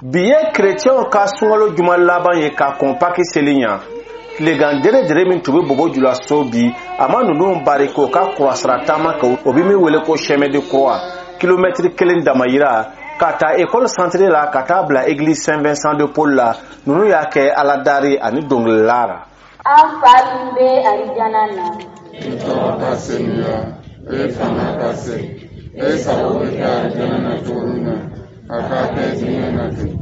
Bi ye kerecɛnw ka sunkalo juma laban ye ka kɔn Paki seli ɲa. Tilegan deredere min tun bɛ Bobo Julaso bi, a ma ninnu bari k'o ka kurasira taama kɛ, o bɛ min wele ko chemin de croix, kilomɛtiri 1 damayira ka taa école centrée la ka taa bila église Saint Vincent de Paul la. Ninnu y'a kɛ aladari ani dɔnkilila la. An fa min bɛ arijana na, i tɔgɔ ka senuya, i fanga ka se, i sago bɛ kɛ arijana na cogo min na, a ka kɛ diɲɛ na ten.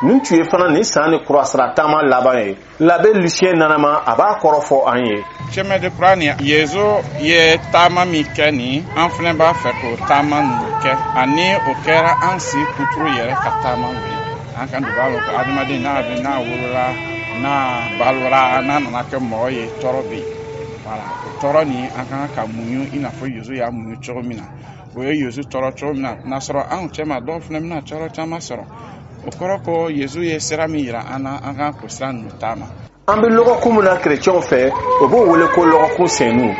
Nin tun ye fana nin san ni kurasira taama laban ye. L'abbé Lucien Nanama, a b'a kɔrɔ fɔ an ye. Chemin de croix nin, Yezu ye taama min kɛ nin, an fana b'a fɛ k'o taama ninnu kɛ, ani o kɛra an si kuturu yɛrɛ ka taama ye. An kan b'a lɔn ko adamaden n'a bɛ n'a wolola, n'a balora, n'a nana kɛ mɔgɔ ye, tɔɔrɔ bɛ yen. Voilà, o tɔɔrɔ nin an kan ka muɲu i n'a fɔ Yezu y'a muɲu cogo min na. O ye Yezu tɔɔrɔ cogo min na, n'a sɔrɔ anw cɛma dɔw fana bɛna tɔɔrɔ caman sɔrɔ. O kɔrɔ ko Yezu ye sira min yira an na, an kan k'o sira ninnu taama. An bɛ lɔgɔkun min na kerecɛnw fɛ, o b'o wele ko lɔgɔkun senu.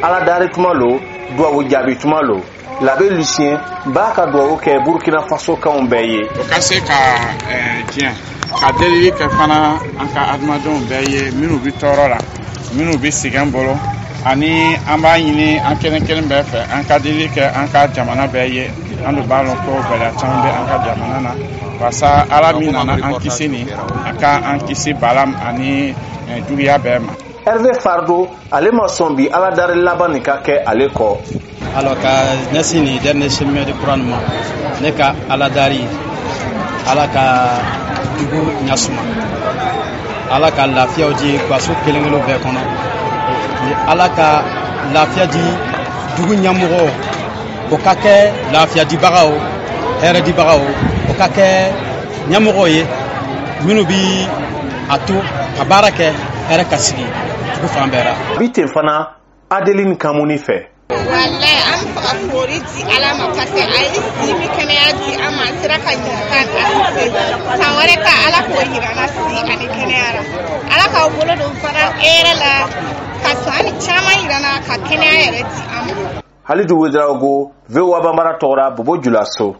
Aladari tuma lo, duwawu jaabi tuma lo. L'abbé Lucien b'a ka duwawu kɛ Burkina Faso kanw bɛɛ ye. O ka se ka diɲɛ ka delili kɛ fana an ka adamadenw bɛɛ ye, minnu bɛ tɔɔrɔ la, minnu bɛ sɛgɛn bolo, ani an b'a ɲini an kelen kelen bɛɛ fɛ, an ka delili kɛ an ka jamana bɛɛ ye. An dun b'a lɔn ko gɛlɛya caman bɛ an ka jamana na, walasa Ala min nana an kisi nin, a ka an kisi bala ani juguya bɛɛ ma. Hervé Fardo, ale ma sɔn bi aladari laban nin ka kɛ ale kɔ. Alors ka ɲɛsin nin dernier chemin de croix ma, ne ka aladari, Ala ka dugu ɲasuma, Ala ka lafiyaw di gaso kelen kelen bɛɛ kɔnɔ, ni Ala ka lafiya di dugu ɲɛmɔgɔw, o ka kɛ lafiya dibagaw, hɛrɛ dibagaw, o ka kɛ ɲɛmɔgɔw ye minnu bi a to ka baara kɛ hɛrɛ ka sigi dugu fan bɛɛ la. Bi ten fana Adeline Kamuni fɛ. Walayi, an bɛ fɛ ka foli di Ala ma parce que a ye si ni kɛnɛya di an ma, an sera ka ɲininka asise. San wɛrɛ ta Ala k'o yira an na si ani kɛnɛya la. Ala k'aw bolo don fana hɛrɛ la ka san ni caman yira an na ka kɛnɛya yɛrɛ di an ma. Halidu Ouedraogo, VOA Bambara tɔgɔra Bobo Julaso.